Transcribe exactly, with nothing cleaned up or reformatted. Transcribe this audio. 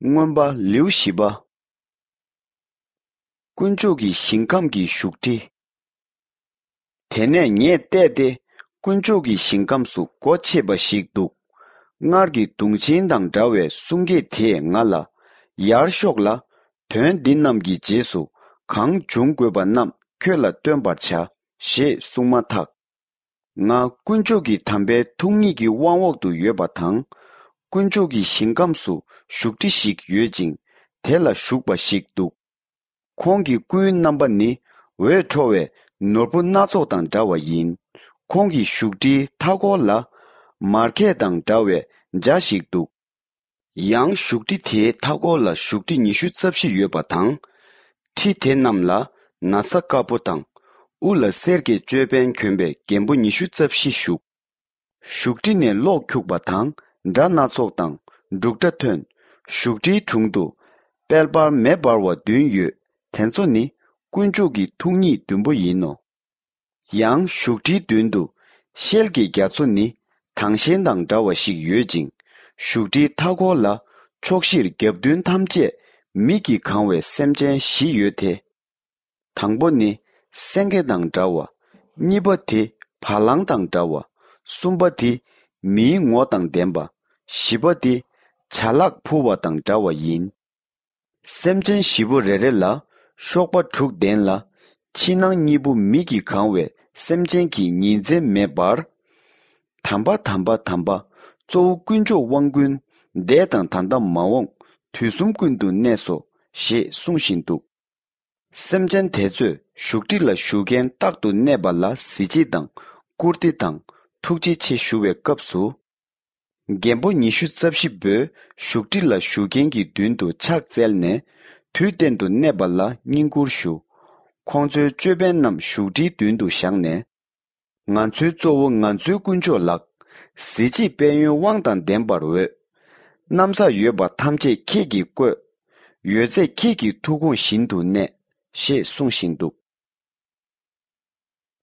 མངོན་པ་ལེའུ་བཞི་པ། དཀོན་མཆོག་གི་ཞིང་ཁམས་ཀྱི་བཞུགས་ཁྲི། དེ་ནས་ངས་བལྟས་ཏེ། དཀོན་མཆོག་གི་ཞིང་ཁམས་སུ་སྒོ་ཕྱེས་པ་ཞིག་འདུག་སྔར་གྱི་དུང་ཆེན་དང་འདྲ་བའི་གསུང་སྐད་དེས་ང་ལ། ཡར་ཤོག་ལ། དོན་འདི་རྣམས་ཀྱི་རྗེས་སུ་གང་འབྱུང་དགོས་པ་རྣམས་ཁྱོད་ལ་སྟོན་པར་བྱ། ཞེས་གསུངས་མ་ཐག་ང་དཀོན་མཆོག་གི་དམ་པའི་ཐུགས་ཉིད་ཀྱི་དབང་འོག་ཏུ་ཡོད་པ་དང་། དཀོན་མཆོག་གི་ཞིང་ཁམས་སུ་བཞུགས་ཁྲི་ཞིག་ཡོད་ཅིང་། དེ་ལ་བཞུགས་པ་ཞིག་འདུག་ཁོང་གི་སྐུའི་རྣམ་པ་ནི་འོད་འཕྲོ་བའི་ནོར་བུ་སྣ་ཚོགས་དང་འདྲ་བ་ཡིན། ཁོང་གི་བཞུགས་ཁྲིའི་མཐའ་འཁོར་ལ། མར་ཁད་དང་འདྲ་བའི་འཇའ་ཞིག་འདུག་ཡང་བཞུགས་ཁྲི་དེའི་མཐའ་འཁོར་ལ་བཞུགས་ཁྲི་ཉི་ཤུ་རྩ་བཞི་ཡོད་པ་དང་། ཁྲི་དེ་རྣམས་ལ་ན་བཟའ་དཀར་པོ་དང་། དབུ་ལ་གསེར་གྱི་ཅོད་པན་གྱོན་པའི་རྒན་པོ་ཉི་ཤུ་རྩ་བཞི་བཞུགས། བཞུགས་ཁྲི་ནས་གློག་འཁྱུག་པ་དང་སྒྲ་སྣ་ཚོགས་དང་འབྲུག་སྒྲ་ཐོན། བཞུགས་ཁྲིའི་དྲུང་དུ་དཔལ་འབར་མེ་འབར་བ་བདུན་ཡོད། དེ་ཚོ་ནི་དཀོན་མཆོག་གི་ཐུགས་ཉིད་བདུན་པོ་ཡིན་ནོ། ཡང་བཞུགས་ཁྲིའི་མདུན་དུ་ཤེལ་གྱི་རྒྱ་མཚོ་ནི་དྭངས་ཤེལ་དང་འདྲ་བ་ཞིག་ཡོད་ཅིང་། བཞུགས་ཁྲིའི་མཐའ་འཁོར་ལ་ཕྱོགས་བཞིར་རྒྱབ་མདུན་ཐམས་ཅད་མིག་གིས་གང་བའི་སེམས་ཅན་བཞི་ཡོད་དེ། དང་པོ་ནི་སེང་གེ་དང་འདྲ་བ། གཉིས་པ་དེ་བ་ལང་དང་འདྲ་བ། གསུམ་པ་དེ་མིའི་ངོ་དང་ལྡན་པ། བཞི་པ་དེ་བྱ་གླག་འཕུར་བ་དང་འདྲ་བ་ཡིན། སེམས་ཅན་བཞི་པོ་རེ་རེ་ལ་གཤོག་པ་དྲུག་ལྡན་ལ། ཕྱི་ནང་གཉིས་པོ་མིག་གིས་གང་བའི་སེམས་ཅན་གྱི་ཉིན་མཚན་མེ་འབར། དམ་པ་དམ་པ་དམ་པ། གཙོ་བོ་དཀོན་མཆོག་དབང་ཀུན། འདས་དང་ད་ལྟ་མ་འོངས་དུས་གསུམ་ཀུན་ཏུ་གནས་སོ། ཞེས་གསུང་བཞིན་འདུག་སེམས་ཅན་དེ་ཚོས་བཞུགས་ཁྲི་ལ་བཞུགས་མཁན་རྟག་ཏུ་གནས་པ་ལ་གཟི་བརྗིད་དང་བཀུར་སྟི་དང་ཐུགས་རྗེ་ཆེ་ཞུ་བའི་སྐབས་སུ། རྒན་པོ་ཉི་ཤུ་རྩ་བཞི་པོས་བཞུགས་ཁྲི་ལ་བཞུགས་མཁན་གྱི་མདུན་དུ་ཕྱག་བཙལ་ནས། དུས་གཏན་དུ་གནས་པ་ལ་བསྙེན་བཀུར་ཞུ། ཁོང་ཚོའི་ཅོད་པན་རྣམས་བཞུགས་ཁྲིའི་མདུན་དུ་བཞག་ནས། ང་ཚོའི་གཙོ་བོ་ང་ཚོའི་དཀོན་མཆོག་ལགས། གཟི་བརྗིད་དཔལ་ཡོན་དབང་དང་ལྡན་པར་འོས། གནམ་ས་ཡོད་པ་ཐམས་ཅད་ཁྱེད་ཀྱིས་བཀོད། ཡོད་ཚད་ཁྱེད་ཀྱི་ཐུགས་དགོངས་བཞིན་དུ་གནས། ཞེས་གསུང་བཞིན་འདུག